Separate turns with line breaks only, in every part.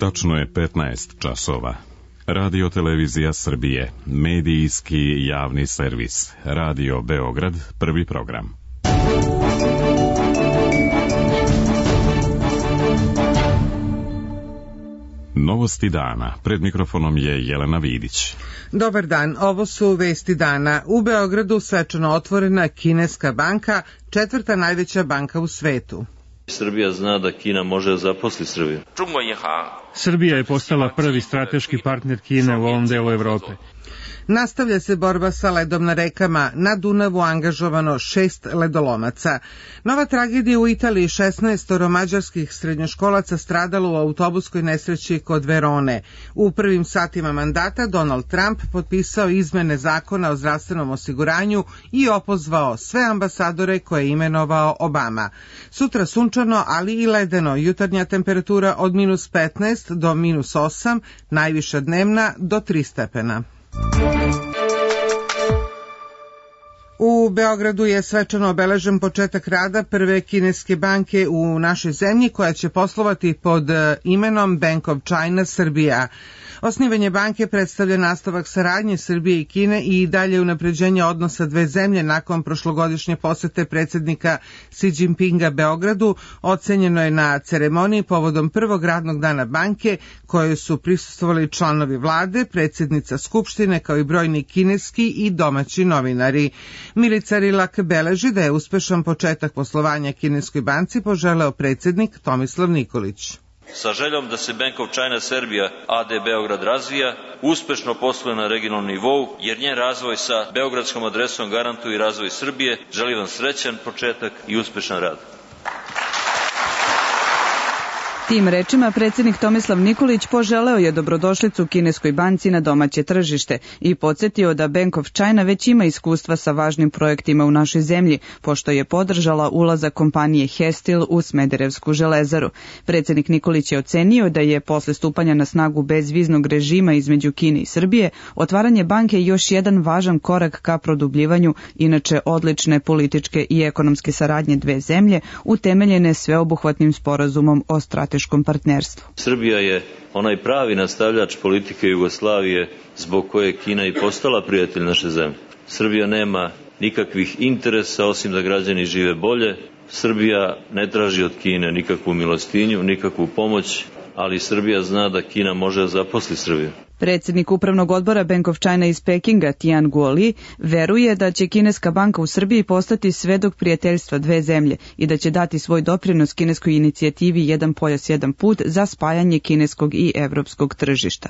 Tačno je 15 časova. Radio Televizija Srbije, medijski javni servis. Radio Beograd, prvi program. Novosti dana. Pred mikrofonom je Jelena Vidić.
Dobar dan, ovo su vesti dana. U Beogradu svečano otvorena kineska banka, četvrta najveća banka u svetu.
Srbija zna da Kina može da zaposli Srbiju.
Srbija je postala prvi strateški partner Kine u ovom delu Evrope.
Nastavlja se borba sa ledom na rekama. Na Dunavu angažovano 6 ledolomaca. Nova tragedija u Italiji, 16 mađarskih srednjoškolaca stradalo u autobuskoj nesreći kod Verone. U prvim satima mandata Donald Trump potpisao izmene zakona o zdravstvenom osiguranju i opozvao sve ambasadore koje je imenovao Obama. Sutra sunčano, ali i ledeno. Jutarnja temperatura od -15 do -8, najviša dnevna do 3 stepena. U Beogradu je svečano obeležen početak rada prve kineske banke u našoj zemlji koja će poslovati pod imenom Bank of China Srbija. Osnivanje banke predstavlja nastavak saradnje Srbije i Kine i dalje unapređenje odnosa dve zemlje nakon prošlogodišnje posete predsjednika Xi Jinpinga Beogradu. Ocenjeno je na ceremoniji povodom prvog radnog dana banke kojoj su prisustvovali članovi vlade, predsjednica Skupštine kao i brojni kineski i domaći novinari. Milica Rilak beleži da je uspešan početak poslovanja kineskoj banci poželeo predsjednik Tomislav Nikolić.
Sa željom da se Bank of China Serbia AD Beograd razvija, uspešno posluje na regionalnom nivou, jer njen razvoj sa beogradskom adresom garantuje i razvoj Srbije. Želim vam srećan početak i uspešan rad.
Tim rečima predsjednik Tomislav Nikolić poželeo je dobrodošlicu kineskoj banci na domaće tržište i podsjetio da Bank of China već ima iskustva sa važnim projektima u našoj zemlji, pošto je podržala ulazak kompanije Hestil u Smederevsku železaru. Predsjednik Nikolić je ocenio da je posle stupanja na snagu bezviznog režima između Kine i Srbije otvaranje banke još jedan važan korak ka produbljivanju inače odlične političke i ekonomske saradnje dve zemlje utemeljene sveobuhvatnim sporazumom o strateškom partnerstvu.
Srbija je onaj pravi nastavljač politike Jugoslavije zbog koje je Kina i postala prijatelj naše zemlje. Srbija nema nikakvih interesa osim da građani žive bolje. Srbija ne traži od Kine nikakvu milostinju, nikakvu pomoć, ali Srbija zna da Kina može da zaposli Srbiju.
Predsjednik upravnog odbora Bank of China iz Pekinga, Tian Guoli, veruje da će kineska banka u Srbiji postati svedok prijateljstva dve zemlje i da će dati svoj doprinos kineskoj inicijativi Jedan pojas, jedan put za spajanje kineskog i evropskog tržišta.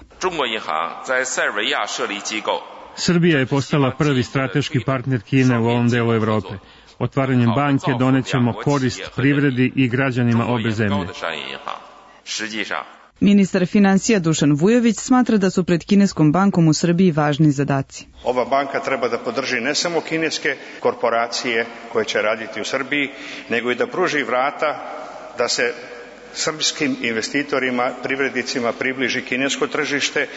Srbija je postala prvi strateški partner Kine u ovom delu Evrope. Otvaranjem banke donećemo korist privredi i građanima obe zemlje.
Ministar financija Dušan Vujović smatra da su pred kineskom bankom u Srbiji važni zadaci.
Ova banka treba da podrži ne samo kineske korporacije koje će raditi u Srbiji, nego i da pruži vrata da se srpskim investitorima, privrednicima približi kinesko tržište,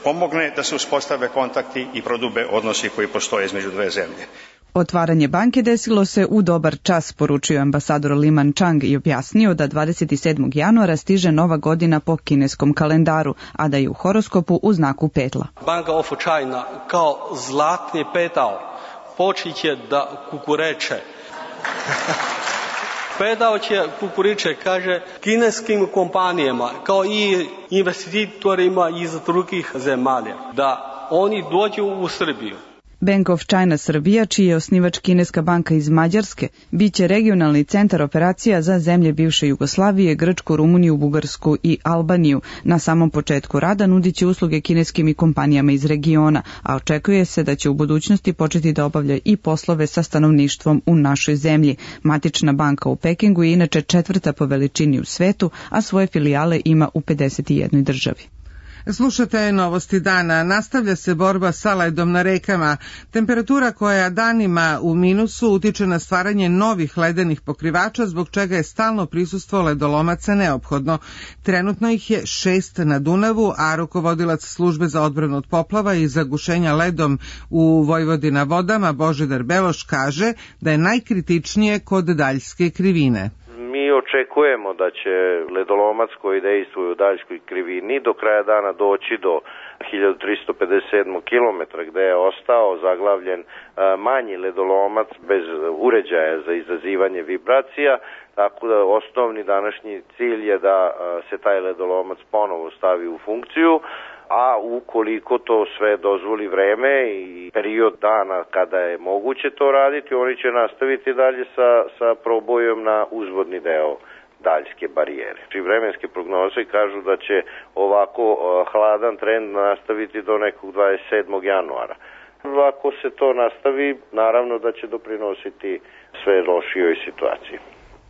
pomogne da se uspostave kontakti i prodube odnosi koji postoje između dve zemlje.
Otvaranje banke desilo se u dobar čas, poručio ambasador Li Manchang i objasnio da 27. januara stiže nova godina po kineskom kalendaru, a da je u horoskopu u znaku petla.
Bank of China kao zlatni petal počeće da kukureče. Pedao će kukuriče, kaže, kineskim kompanijama kao i investitorima iz drugih zemalja, da oni dođu u Srbiju.
Bank of China Srbija, čiji je osnivač kineska banka iz Mađarske, bit će regionalni centar operacija za zemlje bivše Jugoslavije, Grčku, Rumuniju, Bugarsku i Albaniju. Na samom početku rada nudit će usluge kineskim i kompanijama iz regiona, a očekuje se da će u budućnosti početi da obavlja i poslove sa stanovništvom u našoj zemlji. Matična banka u Pekingu je inače četvrta po veličini u svetu, a svoje filijale ima u 51 državi.
Slušate novosti dana. Nastavlja se borba sa ledom na rekama. Temperatura koja danima u minusu utiče na stvaranje novih ledenih pokrivača, zbog čega je stalno prisustvo ledolomaca neophodno. Trenutno ih je 6 na Dunavu, a rukovodilac službe za odbranu od poplava i zagušenja ledom u Vojvodina vodama Božidar Beloš kaže da je najkritičnije kod Daljske krivine.
Mi Očekujemo da će ledolomac koji dejstvuje u daljskoj krivini do kraja dana doći do 1357 km gde je ostao zaglavljen manji ledolomac bez uređaja za izazivanje vibracija, tako da osnovni današnji cilj je da se taj ledolomac ponovo stavi u funkciju, a ukoliko to sve dozvoli vreme i period dana kada je moguće to raditi, oni će nastaviti dalje sa probojom na uzvodni deo daljske barijere. I vremenske prognoze kažu da će ovako hladan trend nastaviti do nekog 27. januara. Ako se to nastavi, naravno da će doprinositi sve lošijoj situaciji.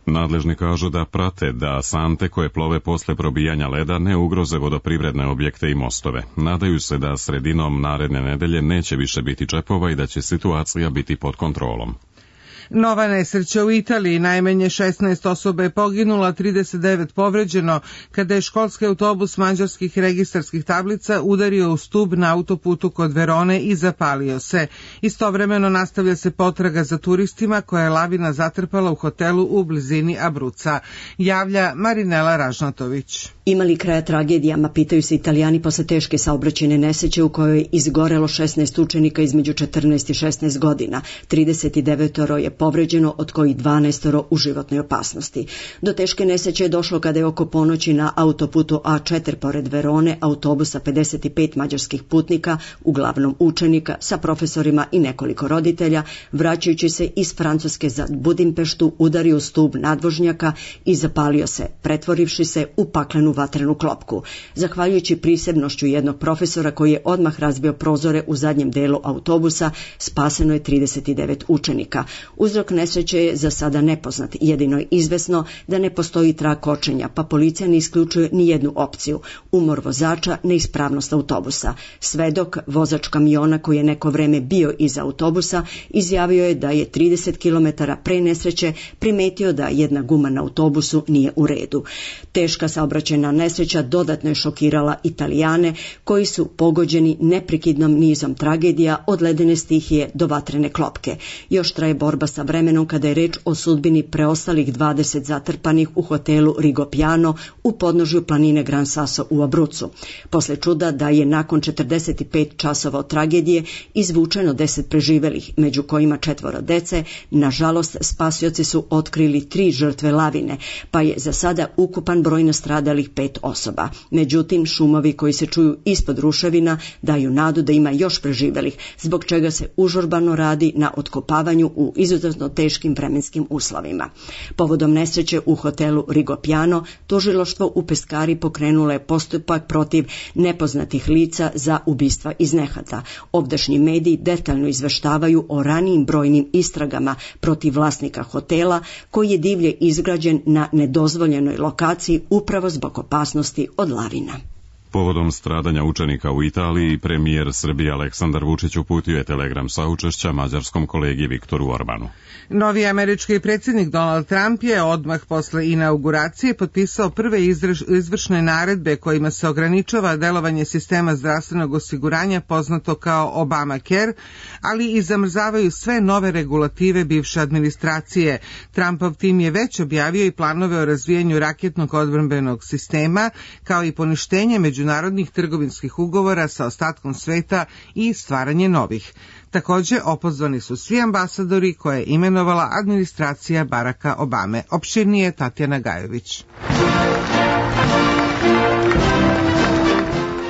Nadležni kažu da prate da sante koje plove posle probijanja leda ne ugroze vodoprivredne objekte i mostove. Nadaju se da sredinom naredne nedelje neće više biti čepova i da će situacija biti pod kontrolom.
Nova nesreća u Italiji, najmanje 16 osoba je poginula, 39 povređeno, kada je školski autobus mađarskih registarskih tablica udario u stub na autoputu kod Verone i zapalio se. Istovremeno nastavlja se potraga za turistima koja je lavina zatrpala u hotelu u blizini Abruca. Javlja Marinela Ražnatović.
Ima li kraja tragedijama, pitaju se Italijani posle teške saobraćajne nesreće u kojoj je izgorelo 16 učenika između 14 i 16 godina. 39 je povređeno, od kojih 12 u životnoj opasnosti. Do teške nesreće je došlo kada je oko ponoći na autoputu A4 pored Verone autobusa 55 mađarskih putnika, uglavnom učenika, sa profesorima i nekoliko roditelja, vraćajući se iz Francuske za Budimpeštu, udario u stub nadvožnjaka i zapalio se, pretvorivši se u paklenu vatrenu klopku. Zahvaljujući prisebnošću jednog profesora koji je odmah razbio prozore u zadnjem delu autobusa, spaseno je 39 učenika. Uzrok nesreće je za sada nepoznat, jedino je izvesno da ne postoji trag kočenja, pa policija ne isključuje ni jednu opciju: umor vozača, neispravnost autobusa. Svedok, vozač kamiona koji je neko vreme bio iza autobusa, izjavio je da je 30 km pre nesreće primetio da jedna guma na autobusu nije u redu. Teška saobraćajna nesreća dodatno je šokirala Italijane, koji su pogođeni neprekidnom nizom tragedija od ledene stihije do vatrene klopke. Još traje borba sa vremenom kada je reč o sudbini preostalih 20 zatrpanih u hotelu Rigopiano u podnožju planine Gran Sasso u Abrucu. Posle čuda da je nakon 45 časova od tragedije izvučeno 10 preživelih, među kojima 4 dece, nažalost spasioci su otkrili 3 žrtve lavine, pa je za sada ukupan broj nastradalih 5 osoba. Međutim, šumovi koji se čuju ispod ruševina daju nadu da ima još preživelih, zbog čega se užurbano radi na otkopavanju u izuzetno teškim vremenskim uslovima. Povodom nesreće u hotelu Rigopiano, tužilaštvo u Peskari pokrenulo je postupak protiv nepoznatih lica za ubistva iz nehata. Ovdašnji mediji detaljno izveštavaju o ranijim brojnim istragama protiv vlasnika hotela, koji je divlje izgrađen na nedozvoljenoj lokaciji upravo zbog opasnosti od lavina.
Povodom stradanja učenika u Italiji, premijer Srbije Aleksandar Vučić uputio je telegram saučešća mađarskom kolegi Viktoru Orbanu.
Novi američki predsjednik Donald Trump je odmah posle inauguracije potpisao prve izvršne naredbe kojima se ograničava delovanje sistema zdravstvenog osiguranja poznato kao Obamacare, ali i zamrzavaju sve nove regulative bivše administracije. Trumpov tim je već objavio i planove o razvijanju raketnog odbrambenog sistema, kao i poništenje međunarodnih trgovinskih ugovora sa ostatkom sveta i stvaranje novih. Takođe, opozvani su svi ambasadori koje je imenovala administracija Baracka Obame. Opširnije Tatjana Gajović.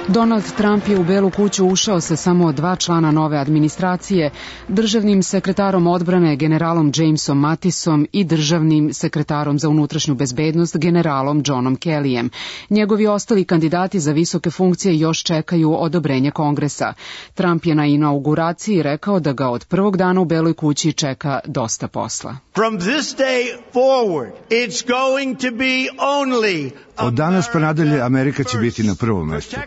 Donald Trump je u Belu kuću ušao sa samo 2 člana nove administracije, državnim sekretarom odbrane generalom Jamesom Mattisom i državnim sekretarom za unutrašnju bezbednost generalom Johnom Kellyjem. Njegovi ostali kandidati za visoke funkcije još čekaju odobrenje Kongresa. Trump je na inauguraciji rekao da ga od prvog dana u Beloj kući čeka dosta posla.
From this day forward, it's going to be only
Od danas pa nadalje Amerika će biti na prvom mestu.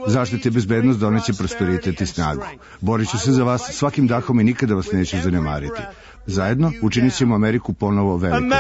Zaštita i bezbednost doneće prosperitet i snagu. Borit ću se za vas svakim dahom i nikada vas neću zanemariti. Zajedno učinit ćemo Ameriku ponovo velikom.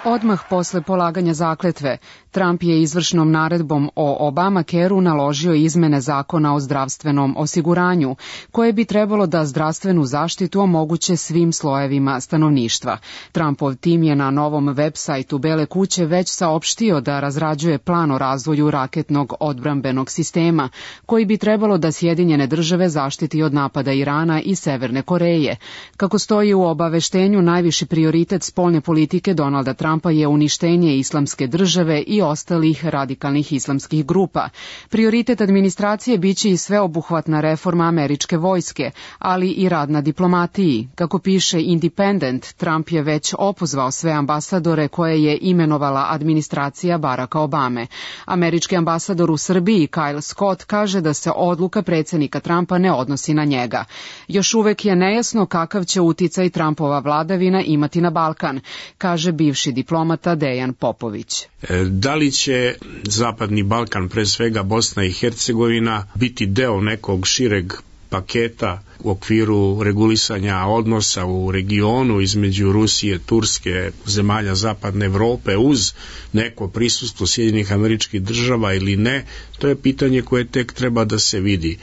Odmah posle polaganja zakletve, Trump je izvršnom naredbom o Obamacareu naložio izmene zakona o zdravstvenom osiguranju, koje bi trebalo da zdravstvenu zaštitu omoguće svim slojevima stanovništva. Trumpov tim je na novom web sajtu Bele kuće već saopštio da razrađuje plan o razvoju raketnog odbrambenog sistema, koji bi trebalo da Sjedinjene države zaštiti od napada Irana i Severne Koreje. Kako stoji u obaveštenju, najviši prioritet spoljne politike Donalda Trumpa je uništenje islamske države i ostalih radikalnih islamskih grupa. Prioritet administracije biće i sveobuhvatna reforma američke vojske, ali i rad na diplomatiji. Kako piše Independent, Trump je već opozvao sve ambasadore koje je imenovala administracija Baracka Obame. Američki ambasador u Srbiji Kyle Scott kaže da se odluka predsjednika Trumpa ne odnosi na njega. Još uvek je nejasno kakav će uticaj Trumpova vladavina imati na Balkan, kaže bivši diplomata Dejan Popović.
Da li će Zapadni Balkan, pre svega Bosna i Hercegovina, biti deo nekog šireg paketa u okviru regulisanja odnosa u regionu između Rusije, Turske, zemalja Zapadne Evrope uz neko prisustvo Sjedinjenih Američkih Država ili ne, to je pitanje koje tek treba da se vidi.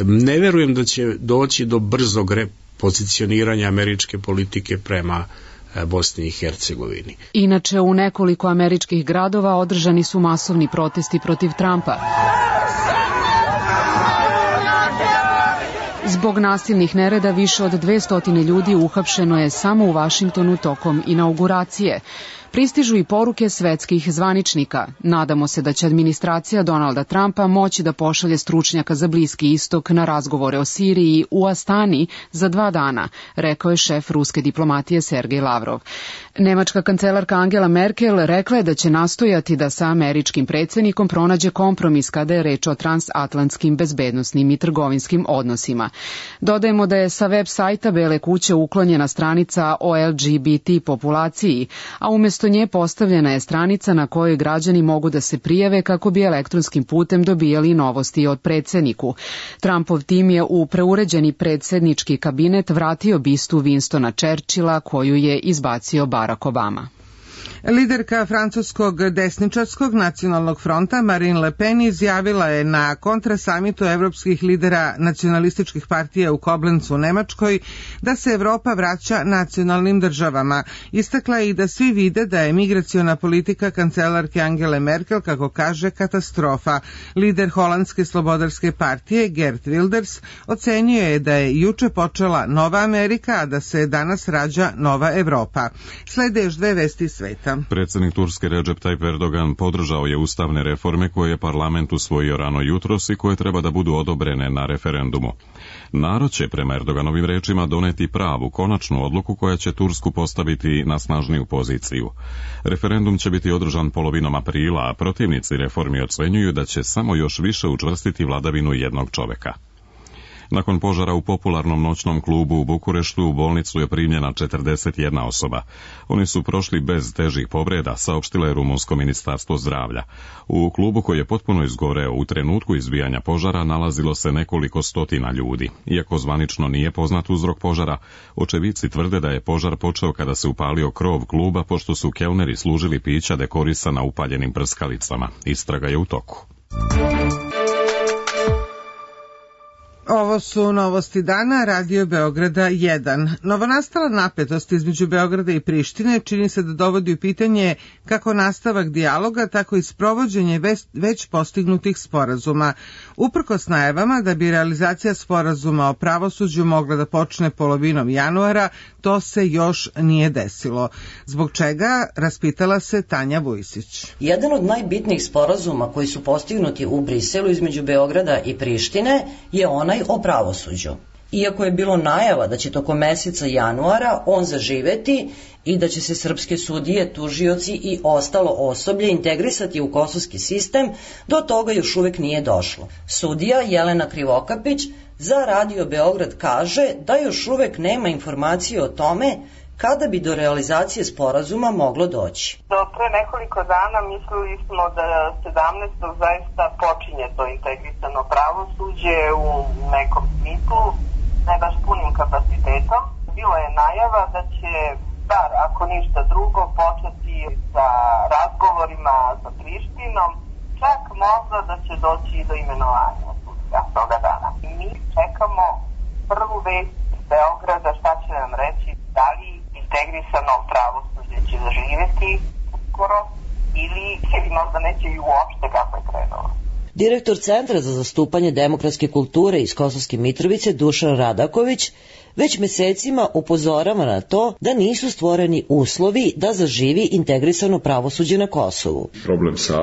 Ne verujem da će doći do brzog repozicioniranja američke politike prema Bosni i Hercegovini.
Inače, u nekoliko američkih gradova održani su masovni protesti protiv Trumpa. Zbog nasilnih nereda više od 200 ljudi uhapšeno je samo u Vašingtonu tokom inauguracije. Pristižu i poruke svetskih zvaničnika. Nadamo se da će administracija Donalda Trumpa moći da pošalje stručnjaka za Bliski istok na razgovore o Siriji u Astani za 2 dana, rekao je šef ruske diplomatije Sergej Lavrov. Nemačka kancelarka Angela Merkel rekla je da će nastojati da sa američkim predsjednikom pronađe kompromis kada je reč o transatlantskim bezbednosnim i trgovinskim odnosima. Dodajemo da je sa web sajta Bele kuće uklonjena stranica o LGBT populaciji, a umjesto nje postavljena je stranica na kojoj građani mogu da se prijave kako bi elektronskim putem dobijali novosti od predsjedniku. Trumpov tim je u preuređeni predsjednički kabinet vratio bistu Winstona Churchilla koju je izbacio Barack Obama.
Liderka francuskog desničarskog nacionalnog fronta Marine Le Pen izjavila je na kontrasamitu evropskih lidera nacionalističkih partija u Koblencu u Nemačkoj da se Evropa vraća nacionalnim državama. Istakla je i da svi vide da je migraciona politika kancelarke Angele Merkel, kako kaže, katastrofa. Lider holandske slobodarske partije Geert Wilders ocenio je da je juče počela nova Amerika, a da se danas rađa nova Evropa. Slede još 2 vesti sveta.
Predsjednik Turske Recep Tayyip Erdogan podržao je ustavne reforme koje je parlament usvojio rano jutros i koje treba da budu odobrene na referendumu. Narod će, prema Erdoganovim rečima, doneti pravu, konačnu odluku koja će Tursku postaviti na snažniju poziciju. Referendum će biti održan polovinom aprila, a protivnici reformi ocenjuju da će samo još više učvrstiti vladavinu jednog čoveka. Nakon požara u popularnom noćnom klubu u Bukureštu u bolnicu je primljena 41 osoba. Oni su prošli bez težih povreda, saopštilo je rumunsko ministarstvo zdravlja. U klubu koji je potpuno izgoreo u trenutku izbijanja požara nalazilo se nekoliko stotina ljudi. Iako zvanično nije poznat uzrok požara, očevici tvrde da je požar počeo kada se upalio krov kluba pošto su kelneri služili pića dekorisana upaljenim prskalicama. Istraga je u toku.
Ovo su novosti dana, Radio Beograda 1. Novonastala napetost između Beograda i Prištine čini se da dovodi u pitanje kako nastavak dijaloga, tako i sprovođenje već postignutih sporazuma. Uprkos najavama da bi realizacija sporazuma o pravosuđu mogla da počne polovinom januara, to se još nije desilo. Zbog čega, raspitala se Tanja Vujsić.
Jedan od najbitnijih sporazuma koji su postignuti u Briselu između Beograda i Prištine je onaj o pravosuđu. Iako je bilo najava da će tokom meseca januara on zaživeti i da će se srpske sudije, tužioci i ostalo osoblje integrisati u kosovski sistem, do toga još uvek nije došlo. Sudija Jelena Krivokapić za Radio Beograd kaže da još uvek nema informacije o tome kada bi do realizacije sporazuma moglo doći.
Do pre nekoliko dana mislili smo da 17. zaista počinje to integrisano pravosuđe u nekom smislu, ne baš punim kapacitetom. Bila je najava da će, bar ako ništa drugo, početi sa razgovorima sa Prištinom najavila da će doći do imenovanja sudija toga dana. I mi čekamo prvu vest iz Beograda, šta će nam reći, da li integrisano pravosuđe će zaživeti uskoro ili možda neće i uopšte kako je krenulo.
Direktor Centra za zastupanje demokratske kulture iz Kosovske Mitrovice Dušan Radaković već mesecima upozorava na to da nisu stvoreni uslovi da zaživi integrisano pravosuđe na Kosovu.
Problem sa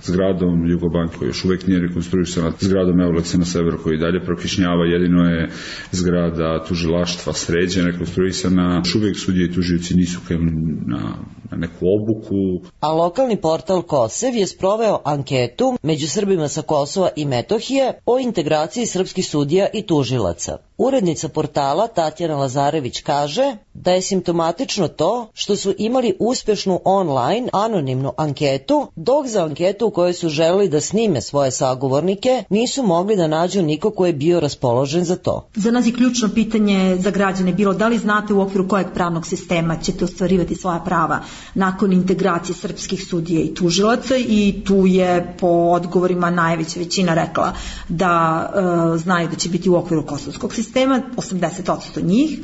zgradom Jugobanke koji još uvek nije rekonstruisana, zgradom Euleksa na severu koji dalje prokišnjava, jedino je zgrada tužilaštva Sređe rekonstruisana, još uvek sudije i tužioci nisu krenuli na neku obuku.
A lokalni portal Kosev je sproveo anketu među Srbima sa Kosova i Metohije o integraciji srpskih sudija i tužilaca. Urednica portala Tatjana Lazarević kaže da je simptomatično to što su imali uspešnu online anonimnu anketu, dok za anketu u kojoj su želeli da snime svoje sagovornike nisu mogli da nađu niko ko je bio raspoložen za to.
Za nas je ključno pitanje za građane bilo da li znate u okviru kojeg pravnog sistema ćete ostvarivati svoja prava nakon integracije srpskih sudija i tužilaca, i tu je po odgovorima najveća većina rekla da znaju da će biti u okviru kosovskog sistema, 80% njih.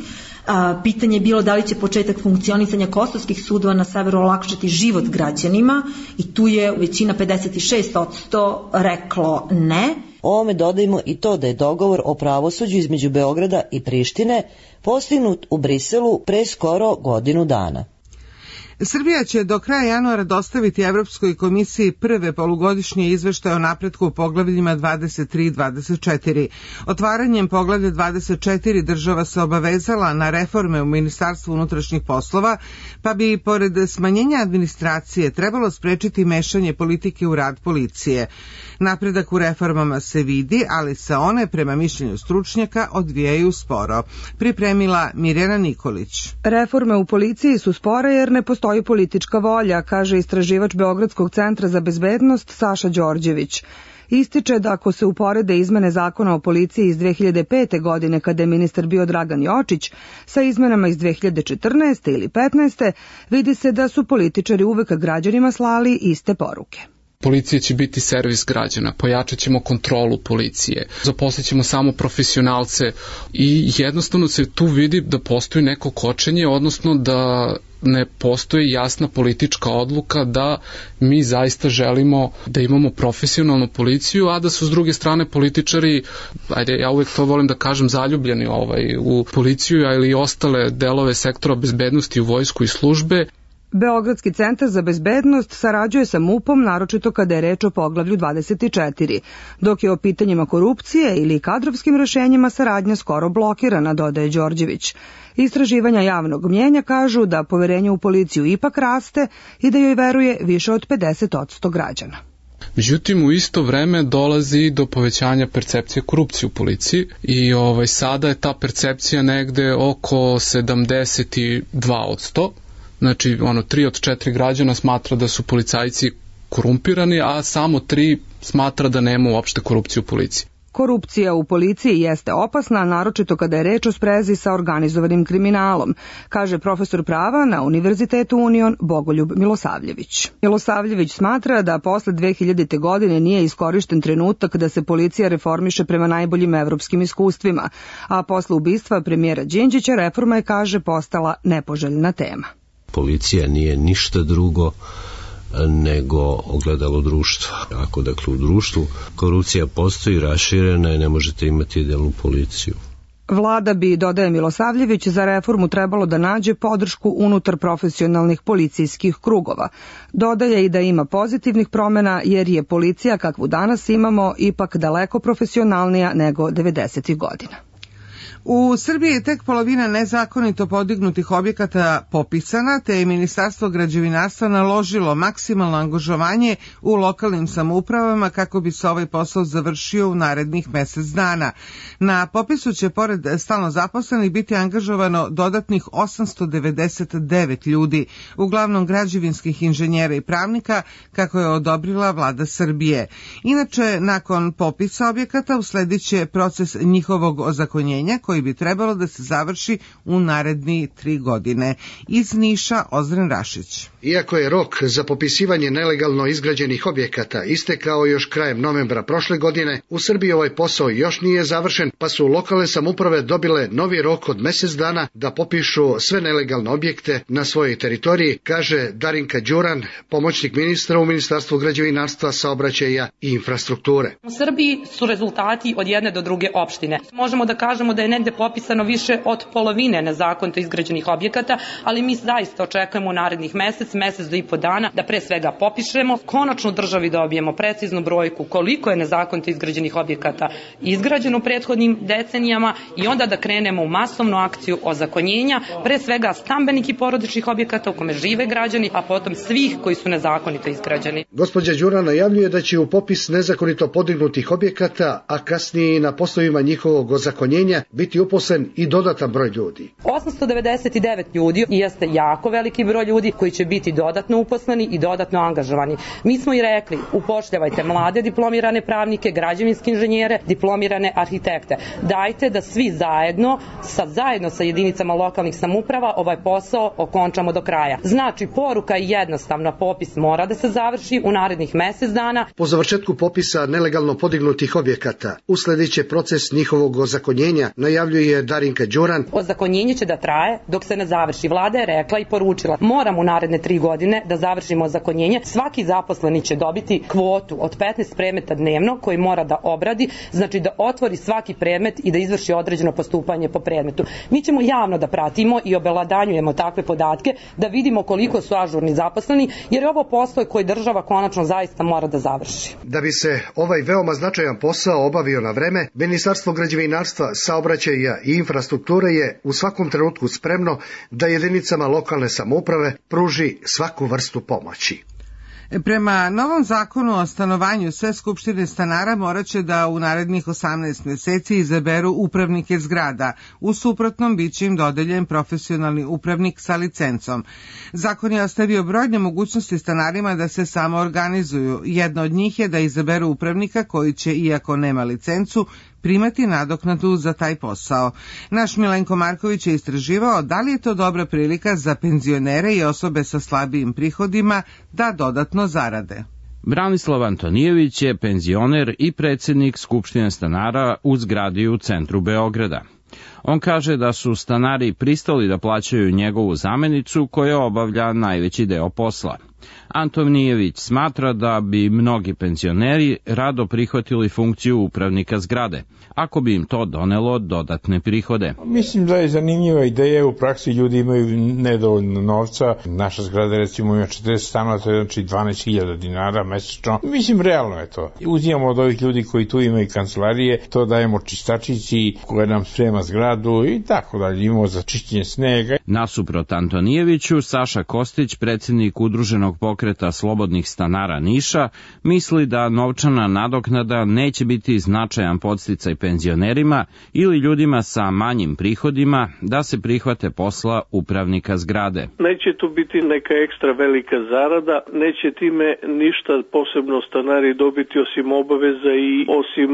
Pitanje je bilo da li će početak funkcionisanja kosovskih sudova na severu olakšati život građanima, i tu je većina 56% reklo ne.
Ovome dodajmo i to da je dogovor o pravosuđu između Beograda i Prištine postignut u Briselu pre skoro godinu dana.
Srbija će do kraja januara dostaviti Evropskoj komisiji prve polugodišnje izveštaje o napretku u poglavljima 23 i 24. Otvaranjem poglavlja 24 država se obavezala na reforme u Ministarstvu unutrašnjih poslova, pa bi pored smanjenja administracije trebalo sprečiti mešanje politike u rad policije. Napredak u reformama se vidi, ali se one, prema mišljenju stručnjaka, odvijaju sporo. Pripremila Mirjana Nikolić.
Reforme u policiji su spore jer ne postoji politička volja, kaže istraživač Beogradskog centra za bezbednost Saša Đorđević. Ističe da ako se uporede izmene zakona o policiji iz 2005. godine kada je ministar bio Dragan Jočić sa izmenama iz 2014. ili 15. vidi se da su političari uvek građanima slali iste poruke.
Policija će biti servis građana, pojačat ćemo kontrolu policije, zaposlit ćemo samo profesionalce i jednostavno se tu vidi da postoji neko kočenje, odnosno da ne postoji jasna politička odluka da mi zaista želimo da imamo profesionalnu policiju, a da su s druge strane političari, ja uvek to volim da kažem, zaljubljeni u policiju ili i ostale delove sektora bezbednosti u vojsku i službe.
Beogradski centar za bezbednost sarađuje sa MUP-om, naročito kada je reč o poglavlju 24, dok je o pitanjima korupcije ili kadrovskim rešenjima saradnja skoro blokirana, dodaje Đorđević. Istraživanja javnog mnjenja kažu da poverenje u policiju ipak raste i da joj veruje više od 50% građana.
Međutim, u isto vreme dolazi do povećanja percepcije korupcije u policiji i sada je ta percepcija negde oko 72%. Znači, 3 od 4 građana smatra da su policajci korumpirani, a samo 3 smatra da nema uopšte korupcije u policiji.
Korupcija u policiji jeste opasna, naročito kada je reč o sprezi sa organizovanim kriminalom, kaže profesor prava na Univerzitetu Union Bogoljub Milosavljević. Milosavljević smatra da posle 2000. godine nije iskorišten trenutak da se policija reformiše prema najboljim evropskim iskustvima, a posle ubistva premijera Đinđića reforma je, kaže, postala nepoželjna tema.
Policija nije ništa drugo nego ogledalo društva. Ako dakle u društvu korupcija postoji, raširena je, ne možete imati idealnu policiju.
Vlada bi, dodaje Milosavljević, za reformu trebalo da nađe podršku unutar profesionalnih policijskih krugova. Dodaje i da ima pozitivnih promena jer je policija kakvu danas imamo ipak daleko profesionalnija nego 90. godina.
U Srbiji je tek polovina nezakonito podignutih objekata popisana, te je Ministarstvo građevinarstva naložilo maksimalno angažovanje u lokalnim samoupravama kako bi se ovaj posao završio u narednih mesec dana. Na popisu će pored stalno zaposlenih biti angažovano dodatnih 899 ljudi, uglavnom građevinskih inženjera i pravnika, kako je odobrila vlada Srbije. Inače, nakon popisa objekata usledit će proces njihovog ozakonjenja, koji koji bi trebalo da se završi u naredni 3 godine. Iz Niša, Ozren Rašić.
Iako je rok za popisivanje nelegalno izgrađenih objekata istekao još krajem novembra prošle godine, u Srbiji ovaj posao još nije završen, pa su lokalne samouprave dobile novi rok od mjesec dana da popišu sve nelegalne objekte na svojoj teritoriji, kaže Darinka Đuran, pomoćnik ministra u Ministarstvu građevinarstva, saobraćaja i infrastrukture.
U Srbiji su rezultati od jedne do druge opštine. Možemo da kažemo da je negde popisano više od polovine nezakonito izgrađenih objekata, ali mi zaista očekujemo u narednih mesec do i po dana da pre svega popišemo, konačno državi dobijemo preciznu brojku koliko je nezakonito izgrađenih objekata izgrađeno u prethodnim decenijama i onda da krenemo u masovnu akciju ozakonjenja, pre svega stambenih i porodičnih objekata u kome žive građani, a potom svih koji su nezakonito izgrađeni.
Gospođa Đuran najavljuje da će u popis nezakonito podignutih objekata, a kasnije i na poslovima njihovog ozakonjenja biti uposlen i dodatan broj ljudi.
899 ljudi jeste jako veliki broj ljudi koji će biti dodatno uposleni i dodatno angažovani. Mi smo i rekli, upošljavajte mlade diplomirane pravnike, građevinske inženjere, diplomirane arhitekte. Dajte da svi zajedno sa jedinicama lokalnih samouprava ovaj posao okončamo do kraja. Znači, poruka je jednostavna, popis mora da se završi u narednih mjesec dana.
Po završetku popisa nelegalno podignutih objekata, usledit proces njihovog ozakonjenja, najavljuje Darinka Đuran.
Ozakonjenje će da traje dok se ne završi. Vlada je rekla i poručila, moramo u naredne 3 godine da završimo ozakonjenje. Svaki zaposleni će dobiti kvotu od 15 predmeta dnevno koji mora da obradi, znači da otvori svaki predmet i da izvrši određeno postupanje po predmetu. Mi ćemo javno da pratimo i obelodanjujemo takve podatke, da vidimo koliko su ažurni zaposleni, jer je ovo posao koji država konačno zaista mora da završi.
Da bi se ovaj veoma značajan posao obavio na vreme, Ministarstvo građevinarstva, saobraćaja i infrastrukture je u svakom trenutku spremno da jedinicama lokalne samouprave pruži svaku vrstu pomoći.
Prema novom zakonu o stanovanju, sve skupštine stanara morat će da u narednih 18 mjeseci izaberu upravnike zgrada. U suprotnom bit će im dodeljen profesionalni upravnik sa licencom. Zakon je ostavio brojne mogućnosti stanarima da se samo organizuju. Jedna od njih je da izaberu upravnika koji će, iako nema licencu, primati nadoknadu za taj posao. Naš Milenko Marković je istraživao da li je to dobra prilika za penzionere i osobe sa slabijim prihodima da dodatno zarade.
Branislav Antonijević je penzioner i predsjednik Skupštine stanara u zgradi u centru Beograda. On kaže da su stanari pristali da plaćaju njegovu zamenicu koja obavlja najveći deo posla. Antonijević smatra da bi mnogi penzioneri rado prihvatili funkciju upravnika zgrade, ako bi im to donelo dodatne prihode.
Mislim da je zanimljiva ideja, u praksi ljudi imaju nedovoljno novca. Naša zgrada recimo ima 40 stanova, to je znači 12.000 dinara mesečno. Mislim, realno je to. Uzimamo od ovih ljudi koji tu imaju kancelarije, to dajemo čistačici koja nam sprema zgradu i tako dalje, imamo za čišćenje snega.
Nasuprot Antonijeviću, Saša Kostić, predsjednik Udruženog pokreta slobodnih stanara Niša, misli da novčana nadoknada neće biti značajan podsticaj penzionerima ili ljudima sa manjim prihodima da se prihvate posla upravnika zgrade.
Neće tu biti neka ekstra velika zarada, neće time ništa posebno stanari dobiti osim obaveza i osim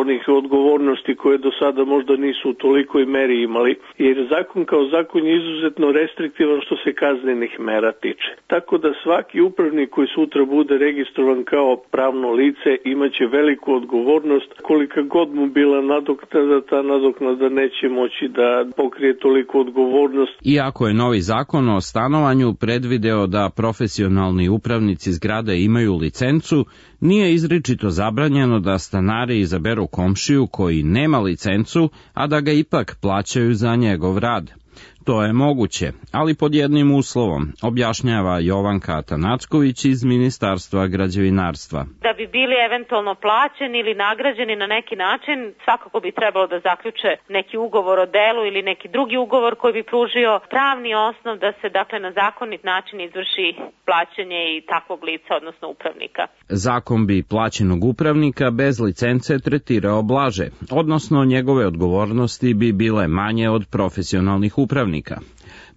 onih odgovornosti koje do sada možda nisu u tolikoj meri imali, jer zakon kao zakon je izuzetno restriktivan što se kaznenih mera tiče. Tako da svaki upravnik koji sutra bude registrovan kao pravno lice imaće veliku odgovornost. Kolika god mu bila nadoknada, ta nadoknada neće moći da pokrije toliku odgovornost.
Iako je novi zakon o stanovanju predvideo da profesionalni upravnici zgrade imaju licencu, nije izričito zabranjeno da stanari izaberu komšiju koji nema licencu, a da ga ipak plaćaju za njegov rad. To je moguće, ali pod jednim uslovom, objašnjava Jovanka Atanacković iz Ministarstva građevinarstva.
Da bi bili eventualno plaćeni ili nagrađeni na neki način, svakako bi trebalo da zaključe neki ugovor o delu ili neki drugi ugovor koji bi pružio pravni osnov da se na zakonit način izvrši plaćanje i takvog lica, odnosno upravnika.
Zakon bi plaćenog upravnika bez licence tretirao blaže, odnosno njegove odgovornosti bi bile manje od profesionalnih upravnika.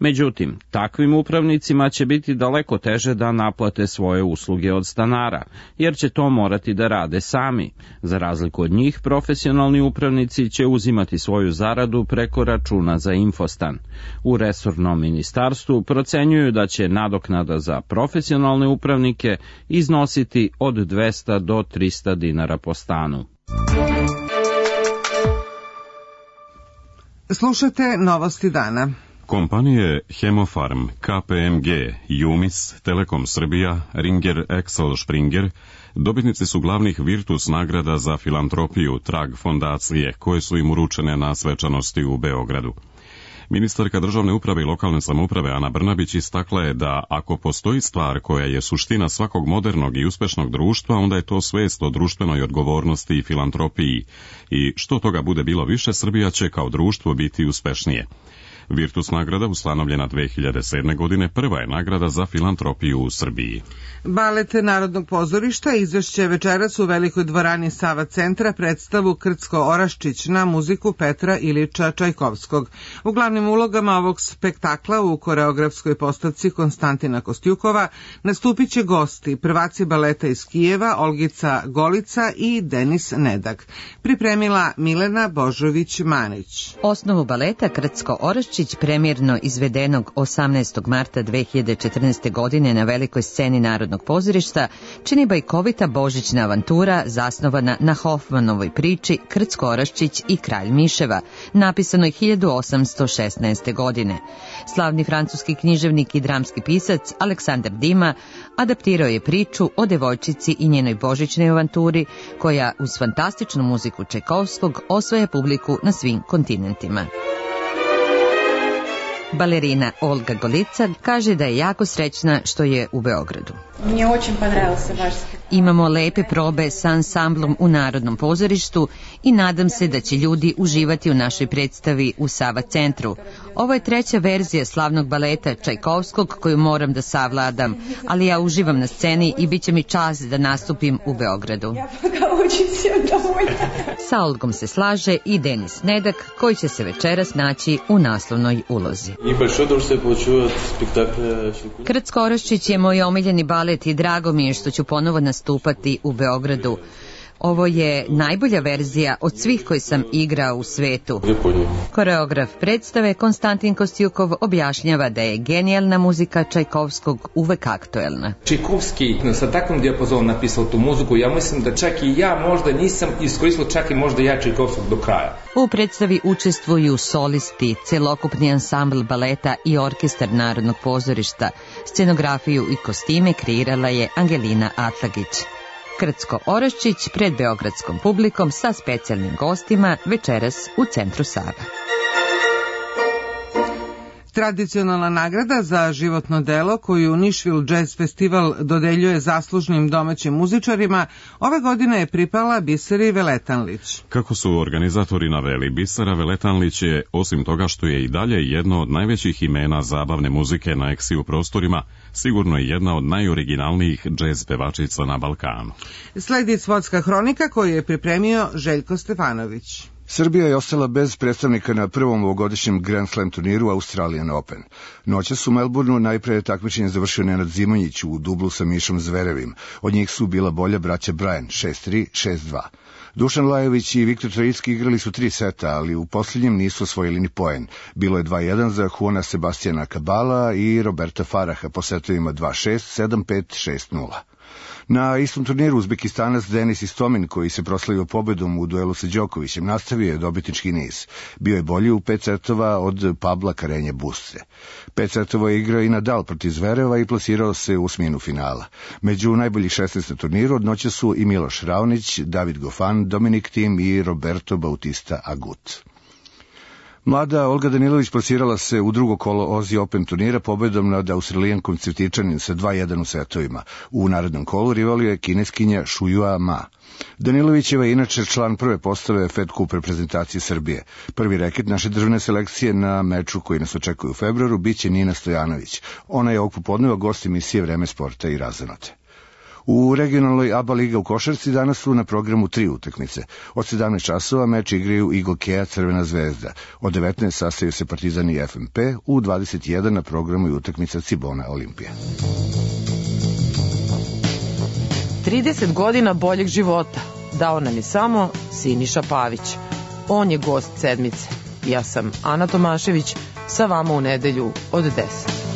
Međutim, takvim upravnicima će biti daleko teže da naplate svoje usluge od stanara, jer će to morati da rade sami. Za razliku od njih, profesionalni upravnici će uzimati svoju zaradu preko računa za infostan. U resornom ministarstvu procenjuju da će nadoknada za profesionalne upravnike iznositi od 200 do 300 dinara po stanu.
Slušate novosti dana.
Kompanije Hemofarm, KPMG, Jumis, Telekom Srbija, Ringer Axel Springer dobitnici su glavnih Virtus nagrada za filantropiju Trag fondacije, koje su im uručene na svečanosti u Beogradu. Ministarka državne uprave i lokalne samouprave Ana Brnabić istakla je da ako postoji stvar koja je suština svakog modernog i uspešnog društva, onda je to svest o društvenoj odgovornosti i filantropiji. I što toga bude bilo više, Srbija će kao društvo biti uspešnije. Virtus nagrada, ustanovljena 2007. godine, prva je nagrada za filantropiju u Srbiji.
Balet Narodnog pozorišta izvešće večeras u Velikoj dvorani Sava centra predstavu Krcko-Oraščić na muziku Petra Ilića Čajkovskog. U glavnim ulogama ovog spektakla u koreografskoj postavci Konstantina Kostjukova nastupit će gosti, prvaci baleta iz Kijeva, Olgica Golica i Denis Nedak. Pripremila Milena Božović-Manić.
Osnovu baleta Krcko-Oraščić, premijerno izvedenog 18. marta 2014. godine na velikoj sceni Narodnog pozorišta, čini bajkovita božićna avantura zasnovana na Hofmanovoj priči Krcko-Oraščić i Kralj miševa, napisanoj 1816. godine. Slavni francuski književnik i dramski pisac Aleksandar Dima adaptirao je priču o devojčici i njenoj božićnoj avanturi, koja uz fantastičnu muziku Čajkovskog osvaja publiku na svim kontinentima. Balerina Olga Golica kaže da je jako srećna što je u Beogradu. Imamo lepe probe sa ansamblom u Narodnom pozorištu i nadam se da će ljudi uživati u našoj predstavi u Sava centru. Ovo je treća verzija slavnog baleta Čajkovskog koju moram da savladam, ali ja uživam na sceni i bit će mi čast da nastupim u Beogradu. Sa Olgom se slaže i Denis Nedak, koji će se večeras naći u naslovnoj ulozi. Krcko-Oraščić je moj omiljeni balet i drago mi je što ću ponovo nastupati u Beogradu. Ovo je najbolja verzija od svih koji sam igrao u svetu. Koreograf predstave Konstantin Kostjukov objašnjava da je genijalna muzika Čajkovskog uvek aktuelna.
Čajkovski sa takvom dijapazonom napisao tu muziku, ja mislim da čak i ja možda nisam iskoristio čak i možda ja Čajkovskog do kraja.
U predstavi učestvuju solisti, celokupni ansambl baleta i orkestar Narodnog pozorišta. Scenografiju i kostime kreirala je Angelina Atlagić. Krcko-Oraščić pred beogradskom publikom sa specijalnim gostima večeras u centru Sava.
Tradicionalna nagrada za životno delo koju Nišvil Jazz Festival dodeljuje zaslužnim domaćim muzičarima ove godine je pripala Biseri Veletanlić.
Kako su organizatori naveli, Bisera Veletanlić je, osim toga što je i dalje jedno od najvećih imena zabavne muzike na eksiju prostorima, sigurno je jedna od najoriginalnijih džez pevačica na Balkanu.
Sledi sportska hronika koju je pripremio Željko Stefanović.
Srbija je ostala bez predstavnika na prvom ovogodišnjem Grand Slam turniru Australian Open. Noćas u Melbourneu najpre takmičenje završio Nenad Zimonjić u dublu sa Mišom Zverevim. Od njih su bila bolja braća Bryan 6-3, 6-2. Dušan Lajović i Viktor Trojicki igrali su 3 seta, ali u posljednjem nisu osvojili ni poen. Bilo je 2-1 za Juana Sebastijana Kabala i Roberta Faraha po setovima 2-6, 7-5, 6-0. Na istom turniru Uzbekistanac Denis Istomin, koji se proslavio pobedom u duelu sa Đokovićem, nastavio je dobitnički niz. Bio je bolji u 5 setova od Pabla Karenje Busce. 5 setova je igrao i Nadal protiv Zvereva i plasirao se u osminu finala. Među najboljih 16 na turniru od noća su i Miloš Raonić, David Gofan, Dominik Thiem i Roberto Bautista Agut. Mlada Olga Danilović plasirala se u drugo kolo Aussie Open turnira pobedom nad Australijankom Cvjetičanin sa 2-1 u setovima. U narednom kolu rivalio je kineskinja Šujua Ma. Danilovićeva je inače član prve postave Fed Cup reprezentacije Srbije. Prvi reket naše državne selekcije na meču koji nas očekuje u februaru biće Nina Stojanović. Ona je ovog popodneva gost emisije Vreme sporta i razonode. U regionalnoj ABA liga u košarci danas su na programu 3 utakmice. Od 17 časova meč igraju Igokea Crvena zvezda. Od 19 sastaju se Partizan i FNP, u 21 na programu i utakmica Cibona Olimpija.
30 godina boljeg života dao nam je samo Siniša Pavić. On je gost sedmice. Ja sam Ana Tomašević, sa vama u nedelju od 10.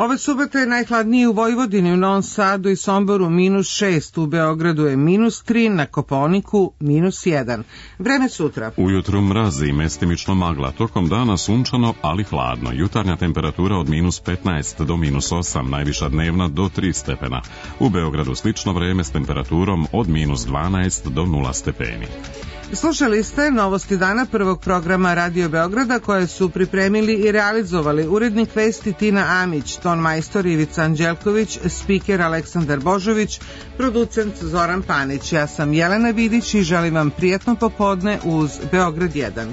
Ove subote je najhladnije u Vojvodini, u Novom Sadu i Somboru -6, u Beogradu je -3, na Kopaoniku -1. Vreme sutra.
Ujutru mrazi i mestimično magla, tokom dana sunčano, ali hladno. Jutarnja temperatura od -15 do -8, najviša dnevna do 3 stepena. U Beogradu slično vreme s temperaturom od -12 do 0 stepeni.
Slušali ste Novosti dana prvog programa Radio Beograda koje su pripremili i realizovali urednik vesti Tina Amić, ton majstor Ivica Anđelković, spiker Aleksandar Božović, producent Zoran Panić. Ja sam Jelena Vidić i želim vam prijatno popodne uz Beograd 1.